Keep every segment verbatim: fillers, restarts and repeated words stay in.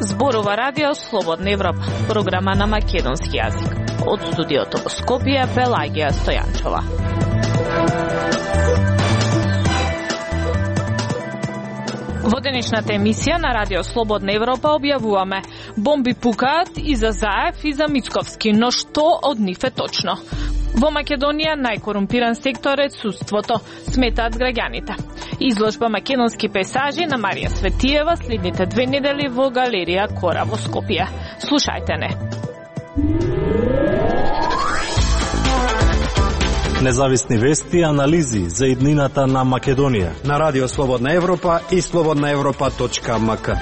Зборува Радио Слободна Европа, програма на македонски јазик. Од студиото во Скопје, Пелагија Стојанчова. Во денешната емисија на Радио Слободна Европа објавуваме: бомби пукаат и за Заев и за Мицковски, но што од нив е точно? Во Македонија најкорумпиран сектор е судството, сметаат граѓаните. Изложба македонски пейзажи на Марија Светиева следните две недели во галерија Кора во Скопје. Слушајте не. Независни вести и анализи за иднината на Македонија на Радио Слободна Европа и слободна европа точка ем ка.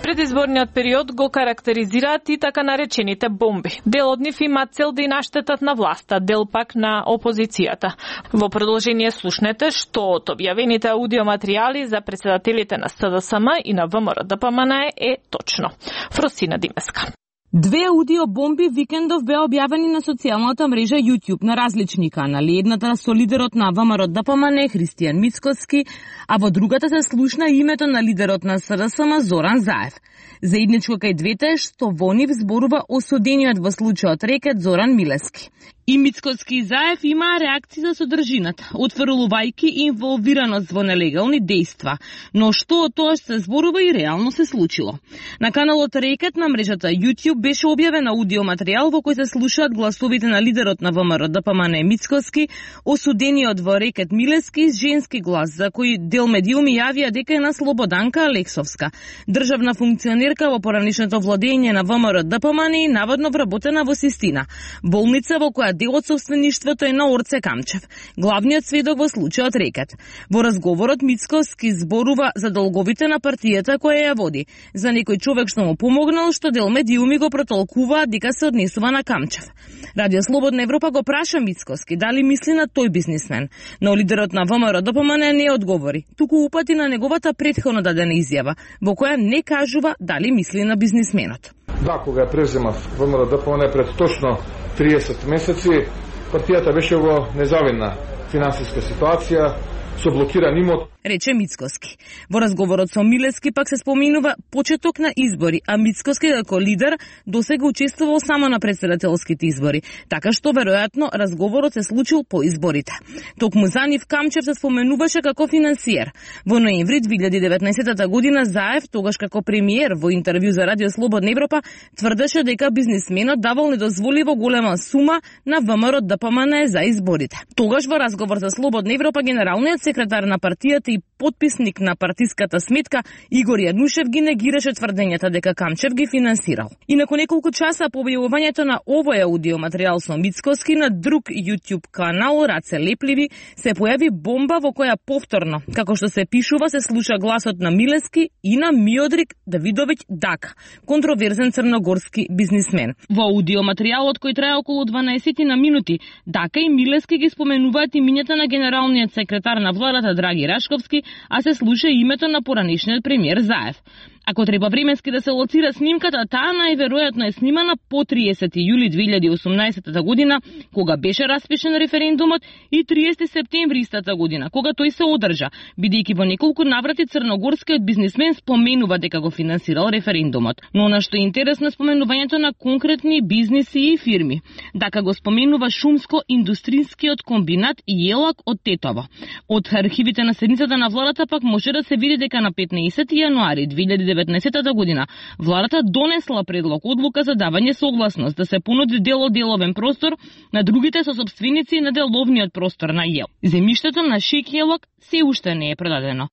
Предизборниот период го карактеризираат и така наречените бомби. Дел од нив има цел да и наштетат на власта, дел пак на опозицијата. Во продолжение слушнете што од објавените аудиоматеријали за председателите на С Д С М и на В М Р Д П М Н е точно. Фросина Димеска. Две аудиобомби викендов беа објавени на социјалната мрежа YouTube на различни канали. Едната со лидерот на В М Р Д П М Н Христијан Мицкоски, а во другата се слушна името на лидерот на С Д С М Зоран Заев. Заедничко кај двете е што во нив зборува осудениот во случајот рекет Зоран Милески. И Мицкоски и Заев имаа реакции за содржината, отфрлувајќи инволвираност во нелегални дејства. Но што од тоа што се зборува и реално се случило? На каналот Рекет на мрежата YouTube беше објавен аудиоматеријал во кој се слушаат гласовите на лидерот на В М Р Д П М Н Мицкоски, осудениот во Рекет Милески с женски глас, за кој дел медиуми јавија дека е на Слободанка Алексовска, државна функционерка во поранишното владење на В М Р Д П М Н и наводно вработена во Систина, болница во која дел од собствеништвото е на Орце Камчев, главниот сведок во случајот Рекет. Во разговорот Мицкоски зборува за долговите на партијата која ја води, за некој човек што му помогнал, што дел медиуми го протолкуваат дека се однесува на Камчев. Радио Слободна Европа го праша Мицкоски дали мисли на тој бизнисмен, но лидерот на В М Р Д П М Н не одговори, туку упати на неговата претходно дадена изјава, во која не кажува дали мисли на бизнисменот. Да, кога ја преземав В М Р Д П М Н пред точно триесет месеци, партијата беше во незавидна финансиска ситуација, со блокиран имот, рече Мицкоски. Во разговорот со Милески пак се споминува почеток на избори, а Мицкоски како лидер досега учествувал само на претседателските избори, така што веројатно разговорот се случил по изборите. Токму за нив Камчев се споменуваше како финансиер. Во ноември две илјади и деветнаесетта година Заев, тогаш како премиер, во интервју за Радио Слободна Европа, тврдеше дека бизнисменот давал недозволиво голема сума на В М Р Д П М Н за изборите. Тогаш во разговор за Слободна Европа генералниот секретар на партијата и потписник на партиската сметка Игор Јанушев ги негираше тврдењата дека Камчев ги финансирал. И након неколку часа по објавувањето на овој аудиоматеријал со Мицкоски на друг YouTube канал Раце Лепливи се појави бомба во која повторно, како што се пишува, се слуша гласот на Милески и на Миодрик Давидовиќ Дака, контроверзен црногорски бизнисмен. Во аудиоматеријалот кој трае околу дванаесет на минути, Дака и Милески ги споменуваат имињата на генералниот секретар на владата Драги Рашковски, а се слуша името на поранишниот премиер Заев. Ако треба временски да се лоцира снимката, таа најверојатно е снимана по триесети јули две илјади и осумнаесетта година, кога беше распишен референдумот, и триесети септември истата година, кога тој се одржа, бидејќи во неколку наврати црногорскиот бизнисмен споменува дека го финансирал референдумот. Но она што е интересно е споменувањето на конкретни бизниси и фирми. Дака го споменува шумско-индустрискиот комбинат Јелак од Тетово. Од архивите на седницата на владата пак може да се види дека на петнаесети јануари две илјади и деветнаесетта година владата донесла предлог одлука за давање согласност да се понуди дел од деловен простор на другите сосопственици на деловниот простор на Јел. Земјиштето на Шик Јелак се уште не е продадено.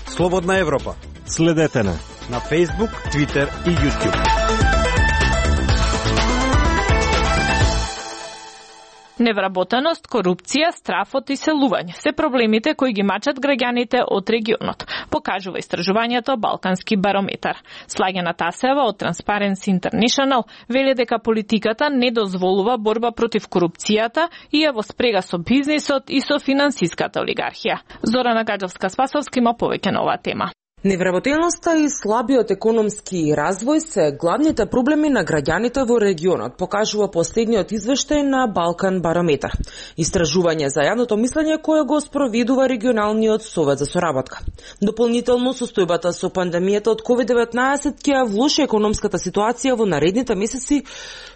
Слободна Европа. Следете на на Facebook, Twitter и YouTube. Невработеност, корупција, страф од иселување се проблемите кои ги мачат граѓаните од регионот, покажува истражувањето Балкански барометар. Слагена Тасева од Transparency International вели дека политиката не дозволува борба против корупцијата и е во спрега со бизнисот и со финансиската олигархија. Зорана Гаджевска-Спасовска има повеќе на оваа тема. Невработеността и слабиот економски развој се главните проблеми на граѓаните во регионот, покажува последниот извештај на Балкан Барометар. Истражување за јавното мислење кое го спроведува регионалниот совет за соработка. Дополнително, состојбата со пандемијата од ковид деветнаесет ќе влоши економската ситуација во наредните месеци,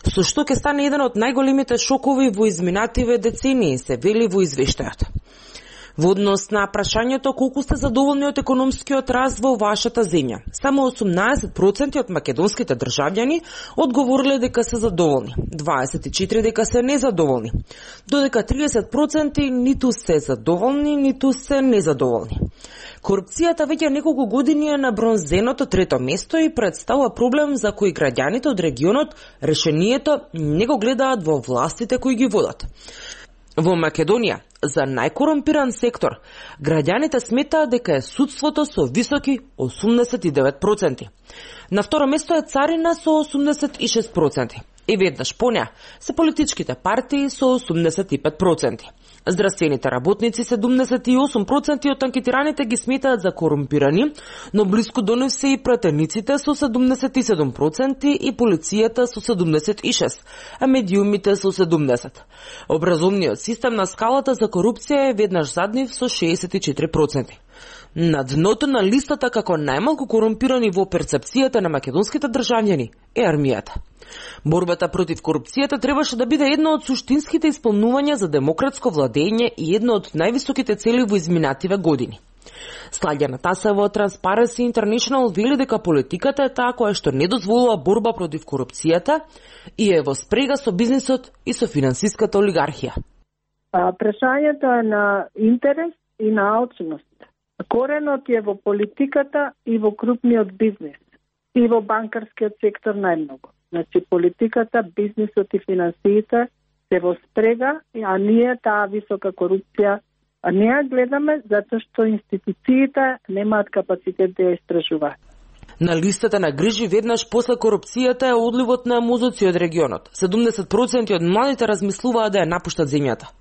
со што ќе стане еден од најголемите шокови во изминативе децении, се вели во извештајот. Во однос на прашањето колку сте задоволни од економскиот развој во вашата земја, само осумнаесет проценти од македонските државјани одговориле дека се задоволни, дваесет и четири проценти дека се незадоволни, додека триесет проценти ниту се задоволни, ниту се незадоволни. Корупцијата веќе неколку години е на бронзеното трето место и представува проблем за кој граѓаните од регионот решението не го гледаат во властите кои ги водат. Во Македонија, за најкорумпиран сектор, граѓаните сметаат дека е судството со високи осумдесет и девет проценти. На второ место е царина со осумдесет и шест проценти. И веднаш по неа се политичките партии со осумдесет и пет проценти. Здравствените работници седумдесет и осум проценти од анкетираните ги сметаат за корумпирани, но блиску до нив се и пратениците со седумдесет и седум проценти и полицијата со седумдесет и шест, а медиумите со седумдесет. Образовниот систем на скалата за корупција е веднаш зад нив со шеесет и четири проценти. На дното на листата како најмалку корумпирани во перцепцијата на македонските државјани е армијата. Борбата против корупцијата требаше да биде едно од суштинските исполнувања за демократско владење и едно од највисоките цели во изминативе години. Слагјана Тасева од Transparency International вели дека политиката е таа која што не дозволува борба против корупцијата и е во спрега со бизнисот и со финансиската олигархија. Прашањето е на интерес и на алчност. Коренот е во политиката и во крупниот бизнис и во банкарскиот сектор најмногу. Значи политиката, бизнисот и финансиите се во спрега, а ние таа висока корупција а не ја гледаме затоа што институциите немаат капацитет да ја истражуваат. На листата на грижи веднаш после корупцијата е одливот на мозоци од регионот. седумдесет проценти од младите размислуваат да ја напуштат земјата.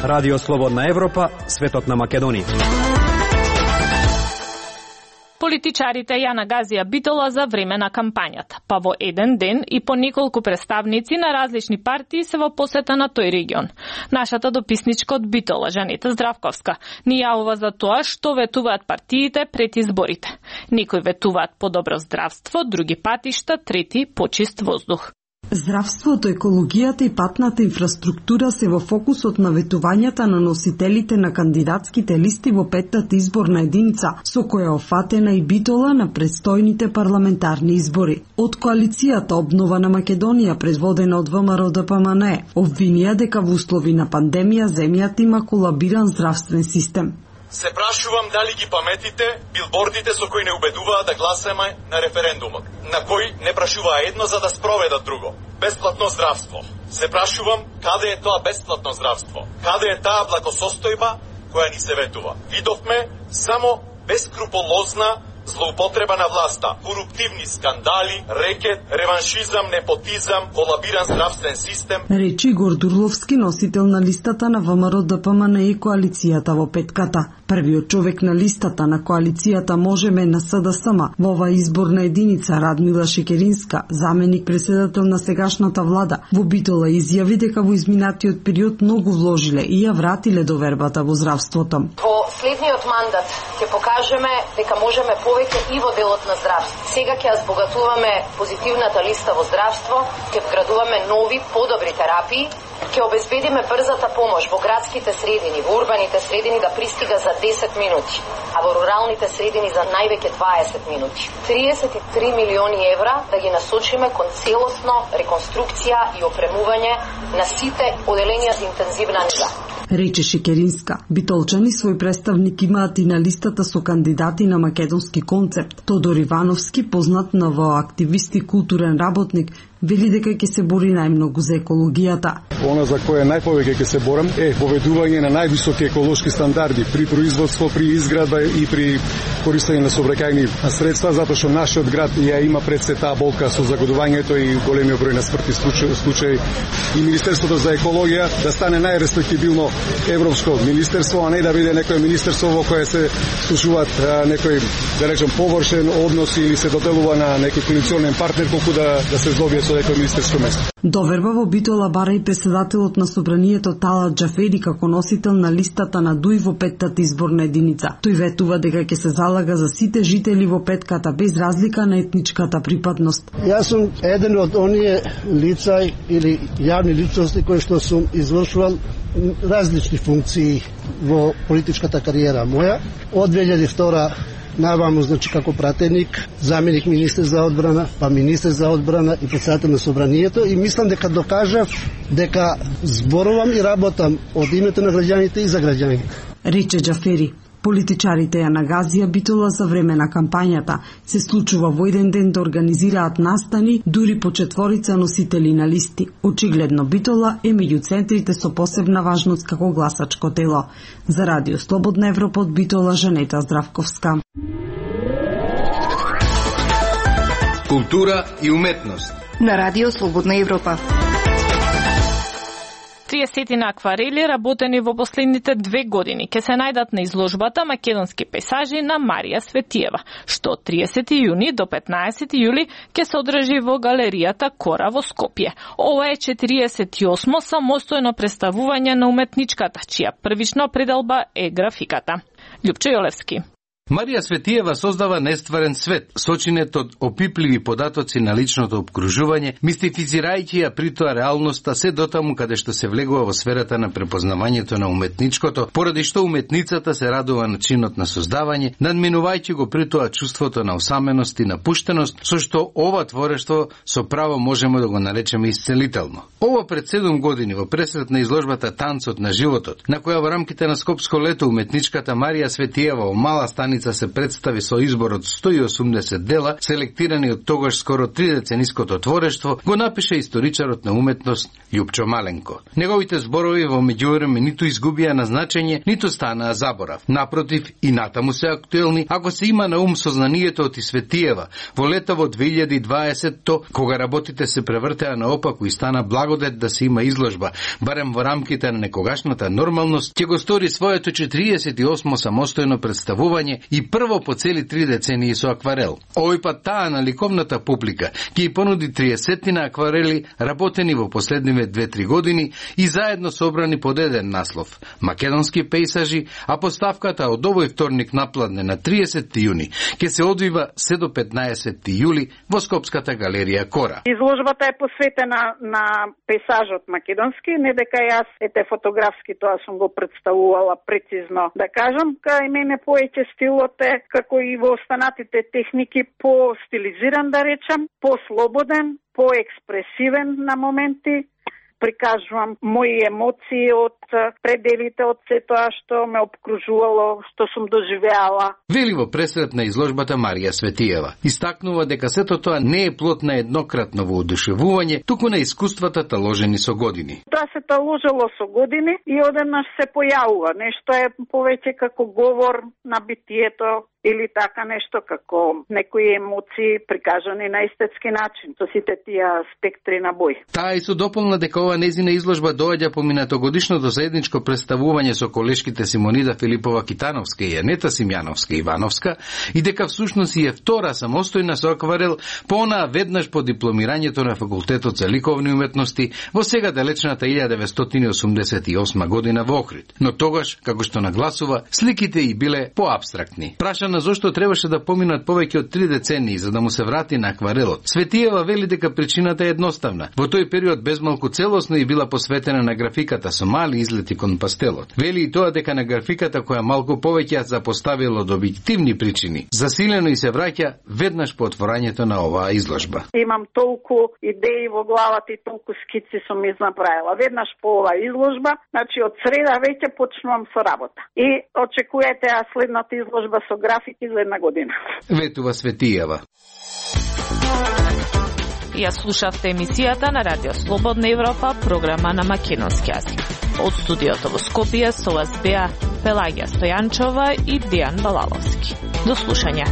Радио Слободна Европа, светот на Македонија. Политичарите ја нагазија Битола за време на кампањата, па во еден ден и по неколку представници на различни партии се во посета на тој регион. Нашата дописничка од Битола, Жанета Здравковска, ни јавува за тоа што ветуваат партиите пред изборите. Некои ветуваат подобро здравство, други патишта, трети почист воздух. Здравството, екологијата и патната инфраструктура се во фокусот на ветувањата на носителите на кандидатските листи во петтата изборна единица, со која офатена и Битола на предстојните парламентарни избори. Од коалицијата Обнова на Македонија, предводена од ВМРО Д П М Н, обвинија дека во услови на пандемија земјата има колабиран здравствен систем. Се прашувам дали ги паметите билбордите со кои не убедуваа да гласаме на референдумот, на кои не прашуваа едно за да спроведат друго. Бесплатно здравство. Се прашувам каде е тоа бесплатно здравство? Каде е таа благосостојба која ни се ветува? Видовме само бескруполозна злоупотреба на власта, коруптивни скандали, рекет, реваншизам, непотизам, колабиран здравствен систем. Речи Игор Дурловски, носител на листата на ВМРО Д П М Н и коалицијата во петката. Првиот човек на листата на коалицијата Можеме на С Д С М во оваа изборна единица, Радмила Шекеринска, заменик председател на сегашната влада, во Битола изјави дека во изминатиот период многу вложиле и ја вратиле довербата во здравството. Во следниот мандат ќе покажеме дека можеме повеќе и во делот на здравство. Сега ќе ја збогатуваме позитивната листа во здравство, ќе вградуваме нови, подобри терапии, ќе обезбедиме брзата помош во градските средини, во урбаните средини да пристига за десет минути, а во руралните средини за највеќе дваесет минути. триесет и три милиони евра да ги насочиме кон целосно реконструкција и опремување на сите оделенија за интензивна нега. Рече Шекеринска. Битолчани свој представник имаат и на листата со кандидати на македонски концепт. Тодор Ивановски, познат на во активист и културен работник, вели дека ќе се бори најмногу за екологијата. Она за кое најповеќе ќе се борам е поведување на највисоки еколошки стандарди при производство, при изградба и при користење на сообраќајни средства, затоа што нашиот град ја има пред се таа болка со загадувањето и големиот број на смртни случаи. И Министерството за екологија да стане најреспектибилно европско министерство, а не да биде некое министерство во кое се слушуваат некој, да речем, површен однос или се доделува на некој коалиционен партнер колку да да се здобие со некој министерско место. Доверба во Битола бара и претседателот на собранието Талат Џафери како носител на листата на Дуј во петтата изборна единица. Тој ветува дека ќе се залага за сите жители во петката без разлика на етничката припадност. Јас сум еден од оние лица или јавни личности кои што сум извршувал различни функции во политичката кариера моја. Од две илјади и втора наваму, значи како пратеник, заменик министер за одбрана, па министер за одбрана и претседател на собранието, и мислам дека докажав дека зборувам и работам од името на граѓаните и за граѓаните. Рече Џафери. Политичарите ја нагазија Битола за време на кампањата. Се случува во еден ден да организираат настани дури по четворица носители на листи. Очигледно Битола е меѓу центрите со посебна важност како гласачко тело. За Радио Слободна Европа од Битола, Жанета Здравковска. Култура и уметност на Радио Слободна Европа. триесет акварели работени во последните две години ќе се најдат на изложбата Македонски пейзажи на Марија Светиева, што од триесети јуни до петнаесети јули ќе се одржи во галеријата Кора во Скопје. Ова е четириесет и осмо самостојно представување на уметничката, чија првична пределба е графиката. Љупчо Јолевски. Марија Светиева создава нестварен свет, сочинет од опипливи податоци на личното обкружување, мистифицирајќи ја при тоа реалноста се дотаму каде што се влегува во сферата на препознавањето на уметничкото, поради што уметницата се радува на чинот на создавање, надминувајќи го при тоа чувството на осаменост и напуштеност, со што ова творештво со право можеме да го наречеме исцелително. Ова пред седум години во пресрет на изложбата Танцот на животот, на која во рамките на Скопско лето уметничката Марија Светиева во мала станица се представи со избор од сто и осумдесет дела, селектирани од тогаш скоро три децениското творештво, го напише историчарот на уметност Љупчо Маленко. Неговите зборови во меѓувреме ниту изгубија на значење, ниту станаа заборав. Напротив, и натаму се актуелни, ако се има на ум сознанието од Светиева во лето во две илјади и дваесетто, кога работите се превртеа наопаку и стана благодет да се има изложба, барем во рамките на некогашната нормалност, ќе го стори своето четириесет и осмо самостојно представување и прво по цели три децении со акварел. Овој пат таа на ликовната публика ќе ја понуди триесетина акварели работени во последниве две-три години и заедно собрани под еден наслов Македонски пейзажи, а поставката од овој вторник напладне на триесети јуни ќе се одвива се до петнаесети јули во Скопската галерија Кора. Изложбата е посветена на пейзажот македонски, не дека јас ете фотографски тоа сум го представувала прецизно, да кажам, кај мене поеќе стилот е, како и во останатите техники, по-стилизиран, да речам, по-слободен, по-експресивен на моменти. Прикажувам мои емоции од пределите од се тоа што ме обкружувало, што сум доживеала. Вели во пресрет на изложбата Марија Светиева. Истакнува дека сето тоа не е плод на еднократно воодушевување, туку на искуствата таложени со години. Тоа се таложело со години и одеднаш се појавува. Нешто е повеќе како говор на битието или така нешто како некои емоции прикажани на естетски начин, со сите тие спектри на бој. Таа и со дополна дека ова незина изложба доаѓа по минатогодишното заедничко представување со колешките Симонида Филипова Китановска и Јанета Симјановска Ивановска и дека всушност и е втора самостојна со акварел по онаа веднаш по дипломирањето на Факултетот за ликовни уметности во сега далечната илјада деветстотини и осумдесет и осма година во Охрид. Но тогаш, како што нагласува, сликите и биле поабстрактни. Прашана зошто требаше да поминат повеќе од три децении за да му се врати на акварелот, Светиева вели дека причината е едноставна. Во тој период безмалку целосно и била посветена на графиката со мали излети кон пастелот. Вели и тоа дека на графиката која малку повеќе ја запоставила од објективни причини, засилено и се враќа веднаш по отворањето на оваа изложба. Имам толку идеи во главата и толку скици сум изнаправила. Веднаш по оваа изложба, значи од среда веќе почнувам со работа. И очекувајте а следната изложба со графики за една година. Ветува Светиева. Ја слушавте емисијата на Радио Слободна Европа, програма на македонски јазик. Од студиото во Скопје со вас беа Пелагија Стојанчова и Дијан Балаловски. До слушање.